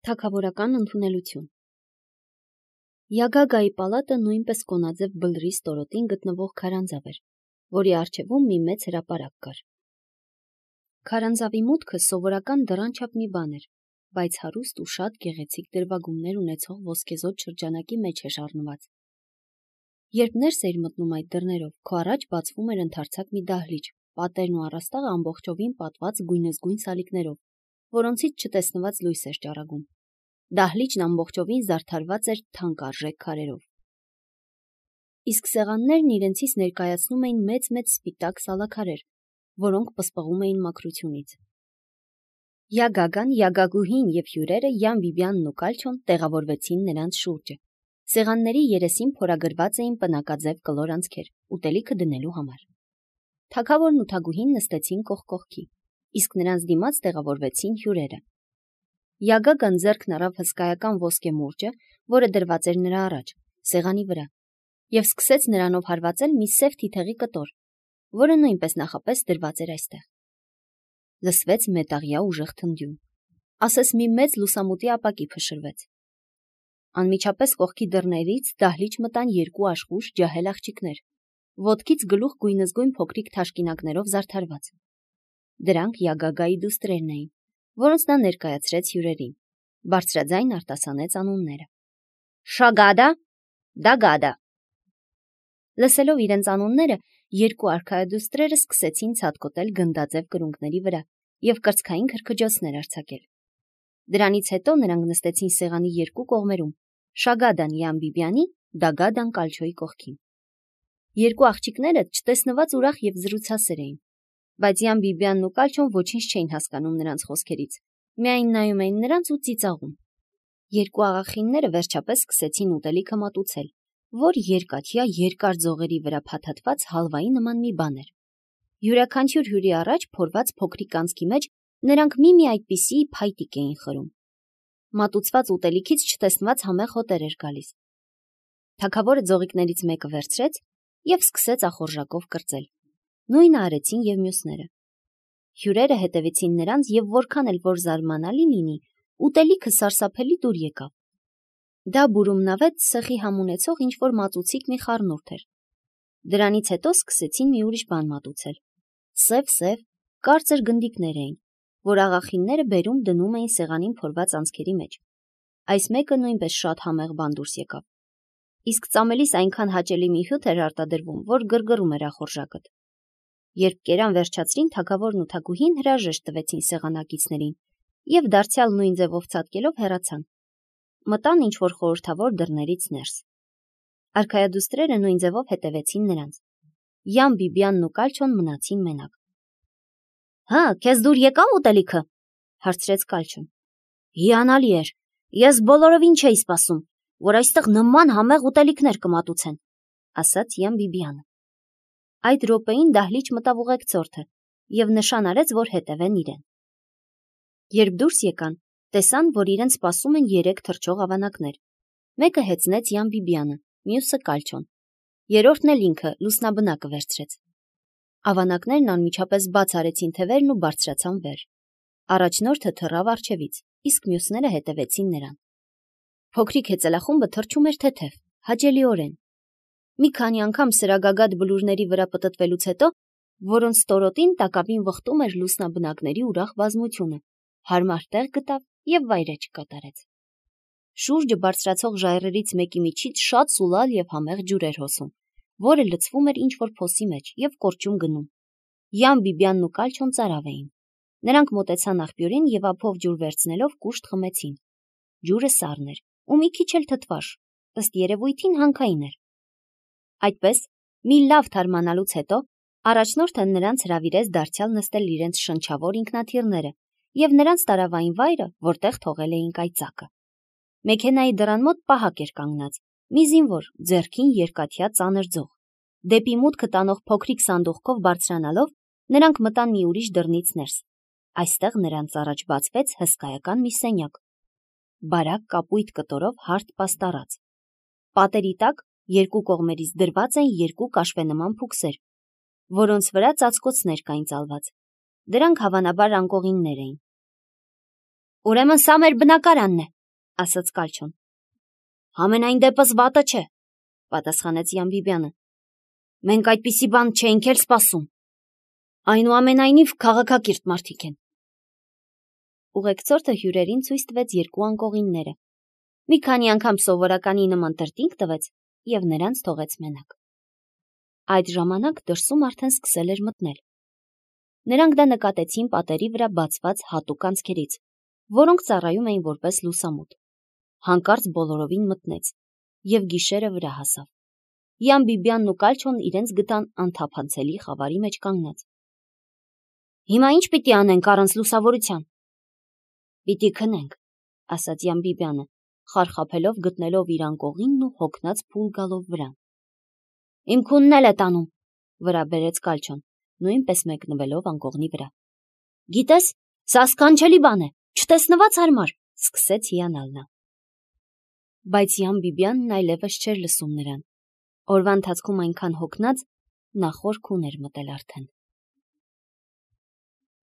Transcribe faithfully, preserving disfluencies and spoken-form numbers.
Թագավորական ընդունելություն Յագագայի պալատը նույնպես կոնաձև բլրի ստորոտին գտնվող քարանձավ էր, որի առջևում մի մեծ հրապարակ կար։ Քարանձավի մուտքը սովորական դռան չափ մի բան էր, բայց հարուստ ու շատ գեղեցիկ դրվագումներ ունեցող ոսկեզօծ շրջանակի մեջ էր առնված։ Երբ ներս էիր մտնում այդ դռներով, քո առաջ բացվում էր ընդարձակ մի դահլիճ, պատերն ու առաստաղը ամբողջովին պատված գույնզգույն սալիկներով, որոնցից չտեսնված լույս էր ճառագում։ Դահլիճն ամբողջովին զարդարված էր թանկարժեք քարերով։ Իսկ սեղաններն իրենցից ներկայացնում էին մեծ-մեծ սպիտակ սալաքարեր, որոնք պսպղում էին մաքրությունից։ Յագագան, Յագագուհին և հյուրերը Յան Բիբիանն ու Կալչոն տեղավորվեցին նրանց շուրջը։ Սեղանների երեսին փորագրված էին պնակաձև կլոր անցքեր, ուտելիքը դնելու համար։ Թագավորն ու թագուհին նստեցին կողք կողքի, իսկ նրանց դիմաց տեղավորվեցին հյուրերը։ Յագագան ձեռքն առավ հսկայական ոսկե մուրճը, որը դրված էր նրա առաջ, սեղանի վրա, և սկսեց նրանով հարվածել մի սև թիթեղի կտոր, որը նույնպես նախապես դրված էր այստեղ։ Լսվեց մետաղյա ուժեղ թնդյուն, ասես մի մեծ լուսամուտի ապակի փշրվեց։ Անմիջապես կողքի դռներից դահլիճ մտան երկու աշխույժ ջահել աղջիկներ, ոտքից գլուխ գույնզգույն փոքրիկ թաշկինակներով զարդարված։ Դրանք Յագագայի դուստրերն էին, որոնց նա ներկայացրեց հյուրերին, բարձրաձայն արտասանեց անունները. Շագադա, Դագադա։ Լսելով իրենց անունները, երկու արքայադուստրերը սկսեցին ցատկոտել գնդաձև կրունկների վրա և կրծքային քրքջոցներ արձակել։ Դրանից հետո նրանք նստեցին սեղանի երկու կողմերում, Շագադան Յան Բիբիանի, Դագադան Կալչոյի կողքին։ Երկու աղջիկները չտեսնված ուրախ և զրուցասեր էին, բայց Յան Բիբիանն ու Կալչոն ոչինչ չէին հասկանում նրանց խոսքերից, միայն նայում էին նրանց ու ծիծաղում։ Երկու աղախինները վերջապես սկսեցին ուտելիքը մատուցել, որ երկաթյա երկար ձողերի վրա փաթաթված հալվայի նման մի բան էր։ Յուրաքանչյուր հյուրի առաջ փորված փոքրիկ անցքի մեջ նրանք մի-մի այդպիսի փայտիկ էին խրում։ Մատուցված ուտելիքից չտեսնված համեղ հոտեր էր գալիս։ Թագավորը ձողիկներից մեկը վերցրեց և սկսեց ախորժակով կրծել։ Նույնը արեցին և մյուսները։ Հյուրերը հետևեցին նրանց և որքան էլ որ զարմանալի լինի, ուտելիքը սարսափելի դուր եկավ։ Դա բուրումնավետ սխի համ ունեցող ինչ-որ մածուցիկ մի խառնուրդ էր։ Դրանից հետո սկսեցին մի ուրիշ բան մատուցել։ Սև-սև, կարծր գնդիկներ էին, որ աղախինները բերում դնում էին սեղանին փորված անցքերի մեջ։ Այս մեկը նույնպես շատ համեղ բան դուրս եկավ։ Իսկ ծամելիս այնքան հաճելի մի հյութ էր արտադրվում, որ գրգռում էր ախորժակդ։ Երբ կերան վերջացրին, թագավորն ու թագուհին հրաժեշտ տվեցին սեղանակիցներին և դարձյալ նույն ձևով ցատկելով հեռացան։ Մտան ինչ-որ խորհրդավոր դռներից ներս։ Արքայադուստրերը նույն ձևով հետևեցին նրանց։ Յան Բիբիանն ու Կալչոն մնացին մենակ։ Հա, քեզ դուր եկավ ուտելիքը, հարցրեց Կալչոն։ Հիանալի էր, ես բոլորովին չէի սպասում, որ այստեղ նման համեղ ուտելիքներ կմատուցեն, ասաց Յան Բիբիանը։ Այդ րոպեին դահլիճ մտավ ուղեկցորդը և նշան արեց, որ հետևեն իրեն։ Երբ դուրս եկան, տեսան, որ իրեն սպասում են երեք թռչող ավանակներ։ Մեկը հեծնեց Յան Բիբիանը, մյուսը Կալչոն, երրորդն էլ ինքը լուսնաբնակը վերցրեց։ Ավանակներն անմիջապես բաց արեցին թևերն ու բարձրացան վեր։ Առաջնորդը թռավ առջևից, իսկ մյուսները հետևեցին նրան։ Փոքրիկ հեծելախումբը թռչում էր թեթև, հաճելիորեն։ Մի քանի անգամ սրագագաթ բլուրների վրա պտտվելուց հետո, որոնց ստորոտին տակավին վխտում էր լուսնաբնակների ուրախ բազմությունը, հարմար տեղ գտավ և վայրէջք կատարեց։ Շուրջը բարձրացող ժայռերից մեկի միջից շատ սուլալ և համեղ ջուր էր հոսում, որը լցվում էր ինչ-որ փոսի մեջ և կորճուն գնում։ Յան Բիբիանն ու Կալչոն ծարավ էին։ Նրանք մոտեցան աղբյուրին և ափով ջուր վերցնելով կուշտ խմեցին։ Ջուրը սառն էր ու մի քիչ էլ թթվաշ, ըստ երևույթին հանքային էր։ Այդպես, մի լավ թարմանալուց հետո, առաջնորդը նրանց հրավիրեց դարձյալ նստել իրենց շնչավոր ինքնաթիռները և նրանց տարավ այն վայրը, որտեղ թողել էին կայծակը։ Մեքենայի դռան մոտ պահակ էր կանգնած, մի զինվոր, ձեռքին երկաթյա ծանր ձող։ Դեպի մուտքը տանող փոքրիկ սանդուղքով բարձրանալով, նրանք մտան մի ուրիշ դռնից ներս։ Այստեղ նրանց առաջ բացվեց հսկայական մի սենյակ, բարակ կապույտ կտորով հարթ պաստառած։ Պատերի տակ երկու կողմերից դրված են երկու կաշվենման փուքսեր, որոնց վրա ծածկոցներ կային ծալված։ Դրանք հավանաբար անկողիններ էին։ Ուրեմն սա մեր բնակարանն է, ասաց Կալչոն։ Համենայն դեպս վատը չէ, պատասխանեց Յամբիբյանը։ Մենք այդպիսի բան չէինք էլ սպասում։ Այնուամենայնիվ քաղաքակիրթ մարդիկ են։ Ուղեկցորդը հյուրերին ցույց տվեց երկու անկողինները։ Մի քանի անգամ սովորականի նման տրտինգ տվեց և նրանց թողեց մենակ։ Այդ ժամանակ դրսում արդեն սկսել էր մտնել։ Նրանք դա նկատեցին պատերի վրա բացված հատուկ անցքերից, որոնք ծառայում էին որպես լուսամուտ։ Հանկարծ բոլորովին մտնեց և գիշերը վրա հասավ։ Յամբիբյանն ու Կալչոն իրենց գտան անթափանցելի խավարի մեջ կանգնած։ Հիմա ի՞նչ պիտի անենք առանց լուսավորության։ Պիտի քնենք, ասաց Յամբիբյանը, խարխափելով գտնելով իր անկողինն ու հոգնած փուլ գալով վրան։ Իմ քունն էլ է տանում, վրա բերեց Կալչոն, նույնպես մեկնվելով անկողնի վրա։ Գիտես, սա սքանչելի բան է, չտեսնված հարմար, սկսեց հիանալ նա։ Բայց Յամբիբյանն այլևս չէր լսում նրան։ Օրվա ընթացքում այնքան հոգնած, նա խոր քուն էր մտել արդեն։